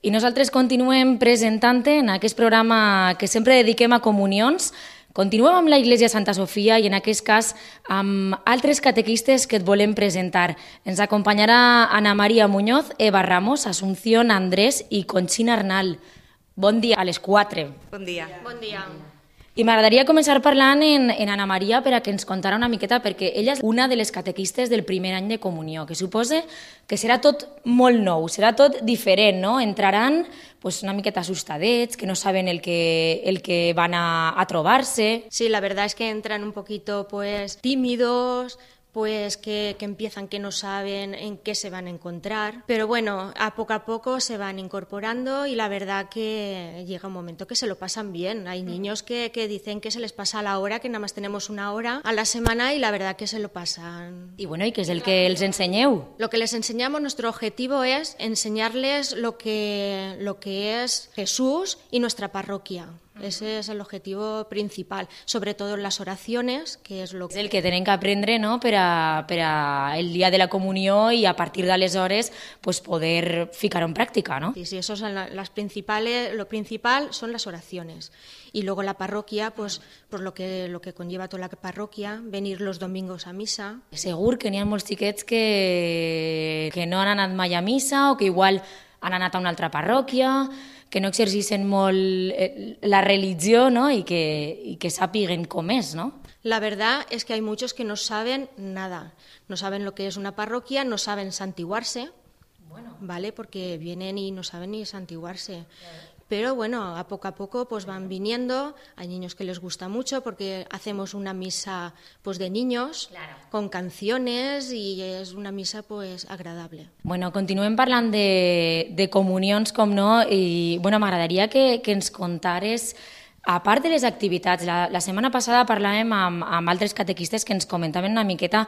I nosaltres continuem presentant en aquest programa que sempre dediquem a comunions. Continuem amb la Iglesia Santa Sofia i en aquest cas amb altres catequistes que et volem presentar. Ens acompanyarà Ana María Muñoz, Eva Ramos, Asunción Andrés i Conxina Arnal. Bon dia a les 4. Bon dia. Bon dia. I m'agradaria començar parlant en Ana María per a que ens contara una miqueta, perquè ella és una de les catequistes del primer any de comunió, que suposa que serà tot molt nou, serà tot diferent, no? Entraran una miqueta assustadets, que no saben el que van a trobar-se. Sí, la verdad es que entran un poquito tímidos, que empiezan que no saben en qué se van a encontrar, pero bueno, a poco se van incorporando y la verdad que llega un momento que se lo pasan bien. Hay niños que dicen que se les pasa la hora, que nada más tenemos una hora a la semana y la verdad que se lo pasan. I bueno, ¿y qué es el que els ensenyeu? Lo que les enseñamos, nuestro objetivo es enseñarles lo que es Jesús y nuestra parroquia. Ese es el objetivo principal, sobre todo en las oraciones, que es lo que... És el que tenen que aprendre, no?, per a el dia de la comunió i a partir d'aleshores poder ficar-ho en pràctica, no? Sí, eso son las principales, lo principal son las oraciones. Y luego la parroquia, lo que conlleva toda la parroquia, venir los domingos a misa. Segur que n'hi ha molts xiquets que no han anat mai a missa o que igual han anat a una altra parròquia, que no exerceixen molt la religió, ¿no? y que sàpiguen com és, ¿no? La verdad es que hay muchos que no saben nada, no saben lo que es una parroquia, no saben santiguarse, ¿vale? Porque vienen y no saben ni santiguarse. Pero bueno, a poco van viniendo. Hay niños que les gusta mucho porque hacemos una misa de niños, claro, con canciones y es una misa agradable. Bueno, continuem parlant de comunions, com no, i bueno, m'agradaria que ens contares, a part de les activitats, la setmana passada parlàvem amb altres catequistes que ens comentaven una miqueta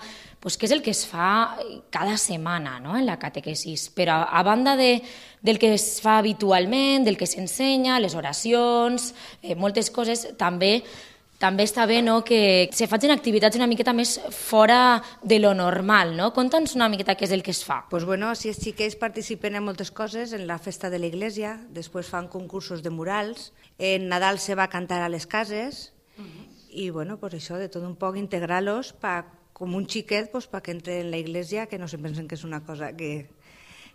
què és el que es fa cada setmana, no?, en la catequesis, però a banda del que es fa habitualment, del que s'ensenya, les oracions, moltes coses, també està bé, no?, que se facin activitats una miqueta més fora de lo normal, no? Conta'ns una miqueta què és el que es fa. Pues bueno, si els xiquets participen en moltes coses, en la festa de l'església, després fan concursos de murals, en Nadal se va a cantar a les cases, i bueno, pues això, de tot un poc integrar-los com un xiquet perquè entre en la iglesia, que no se pensen que és una cosa que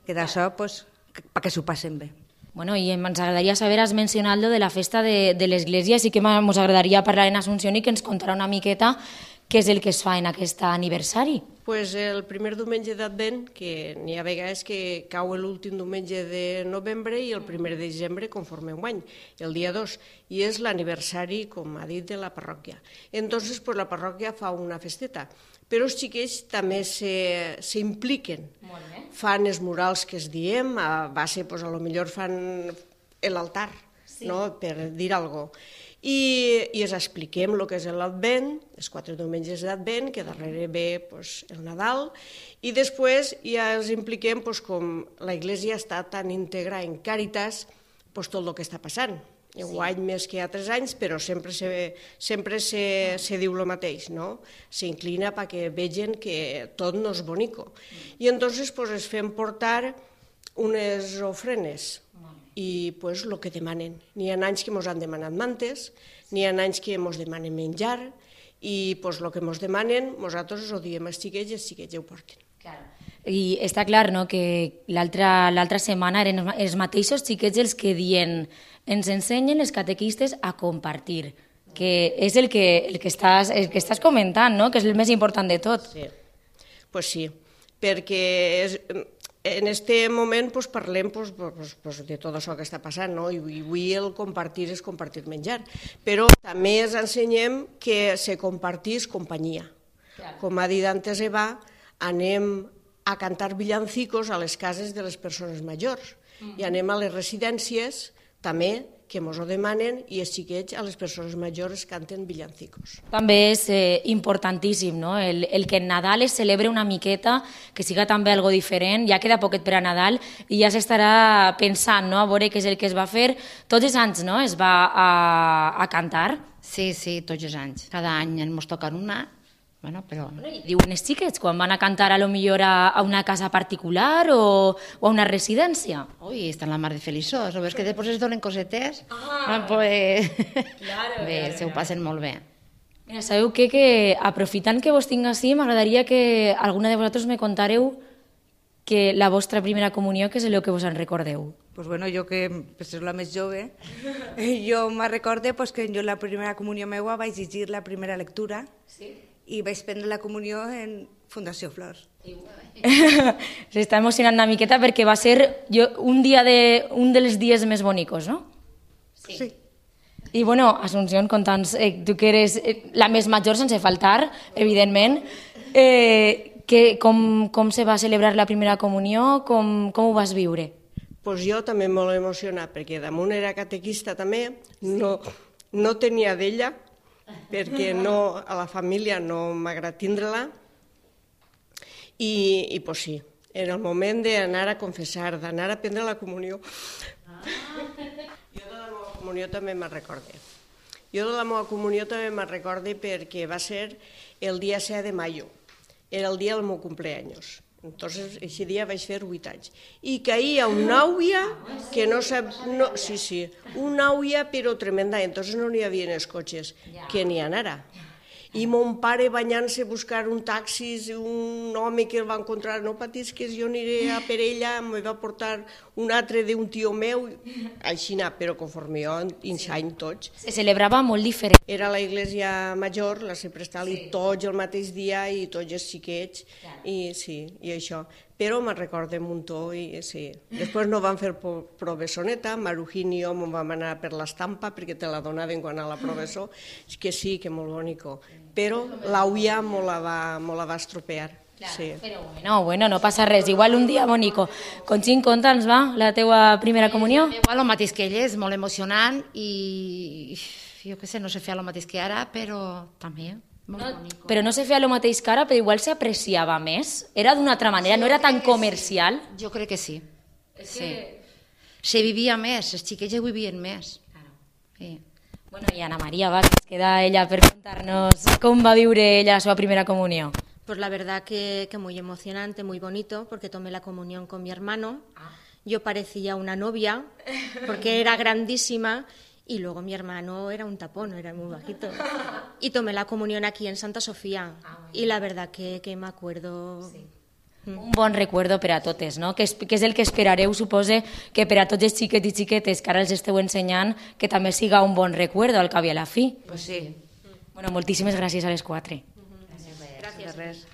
d'això, perquè s'ho passen bé. Bueno, i ens agradaria saber, has mencionat lo de la festa de l'església, sí que ens agradaria parlar en Asunción i que ens contarà una miqueta què és el que es fa en aquest aniversari. Pues el primer diumenge d'Advent, que n'hi ha vegades que cau l'últim diumenge de novembre i el primer de desembre conforme enguany, el dia 2, i és l'aniversari, com ha dit, de la parròquia. Entonces, pues, la parròquia fa una festeta, però els xiquets també s'impliquen. Fan els murals que es diem, a base, pues, a lo millor fan l'altar, no?, per dir alguna cosa. I els expliquem el que és l'Advent, els 4 diumenges d'Advent, que darrere ve el Nadal, i després ja els impliquem com la Iglesia està tan íntegra en Càritas, tot el que està passant. Enguany més que altres anys, però sempre se diu el mateix, no? S'inclina perquè vegin que tot no és bonico. I entonces es fem portar unes ofrenes, i el que demanen. N'hi ha anys que ens han demanat mantes, n'hi ha anys que ens demanen menjar, i el que ens demanen, nosaltres ho diem als xiquets i els xiquets ho porten. I està clar, no?, que l'altra setmana eren els mateixos xiquets els que ens ensenyen les catequistes a compartir, que és el que estàs comentant, no?, que és el més important de tot. Sí, pues sí, perquè en aquest moment parlem de tot això que està passant, no? I avui el compartir és compartir menjar, però també ens ensenyem que se compartís companyia. Com ha dit antes Eva, anem a cantar villancicos a les cases de les persones majors i anem a les residències també, que ens ho demanen, i els xiquets a les persones majors canten villancicos. També és importantíssim, no?, el que en Nadal es celebre una miqueta, que siga també algo diferent. Ja queda poquet per a Nadal i ja s'estarà pensant, no?, a veure què és el que es va fer. Tots els anys, no?, es va a cantar. Sí, tots els anys. Cada any ens toca una Bueno, però... I diuen els xiquets quan van a cantar a lo millor a una casa particular o a una residència? Ui, estan la mar de feliços. O és que després es donen cosetes. Pues... Bé, se ho passen molt bé. Mira, sabeu què? Que aprofitant que vos tinc així, m'agradaria que alguna de vosaltres me contareu que la vostra primera comunió, que és el que vos en recordeu. Pues bueno, jo que pues, és la més jove, jo me recorde pues, que jo la primera comunió meua vaig llegir la primera lectura i vaig prendre la comunió en Fundació Flors. S'està emocionant una miqueta perquè va ser un dels dies més bonicos, no? Sí. I bueno, Asunción, conta'ns, tu que eres la més major sense faltar, evidentment, com se va celebrar la primera comunió, com ho vas viure? Pues jo també molt emocionat, perquè damunt era catequista també, no tenia d'ella, perquè a la família no m'agrada tindre-la, i pues sí, era el moment d'anar a confessar, d'anar a prendre la comunió. Jo de la meva comunió també me'n recorde. Perquè va ser el dia 7 de mayo, era el dia del meu cumpleaños. Entonces, ese dia vaig fer 8 anys. I caía una àuia que no sap... No, sí, una àuia però tremenda. Entonces no n'hi havia els cotxes, que n'hi anara. I mon pare banyant-se a buscar un taxi, un home que el va encontrar, no patis que jo aniré a per ella, em va portar un altre d'un tio meu, així, però conforme jo, any tots. Se celebrava molt diferent. Era la iglesia major, la Seprestal, i tots el mateix dia, i tots els xiquets, i sí, i això. Però me'n recorde un muntó, i sí. Després no van fer professoneta, Marujín i jo me'n vam anar per l'estampa, perquè te la donaven quan a la professor, és que sí, que molt bonico. Però l'auia me la va estropear. Sí. Però bueno, no passa res, igual un dia bonico. Conxín, conta'ns, va, la teua primera comunió? Igual el mateix que ell, és molt emocionant i jo què sé, no sé fer el mateix que ara, però també molt bonico. Però no se feia el mateix que ara, però igual s'apreciava més? Era d'una altra manera, no era tan comercial? Jo crec que sí. Se vivia més, els xiquets ja vivien més. Sí. Bueno, i Ana María, va, que es queda ella per contar-nos com va viure ella la seva primera comunió. Pues la verdad que muy emocionante, muy bonito, porque tomé la comunión con mi hermano. Yo parecía una novia, porque era grandísima, y luego mi hermano era un tapón, era muy bajito. Y tomé la comunión aquí en Santa Sofía, y la verdad que me acuerdo... Sí. Un bon recuerdo per a totes, no? Que és el que esperareu, supose, que per a tots els xiquets i xiquetes que ara els esteu ensenyant, que també siga un bon recuerdo al cap i a la fi. Pues sí. Bueno, moltíssimes gràcies a les quatre. Gràcies.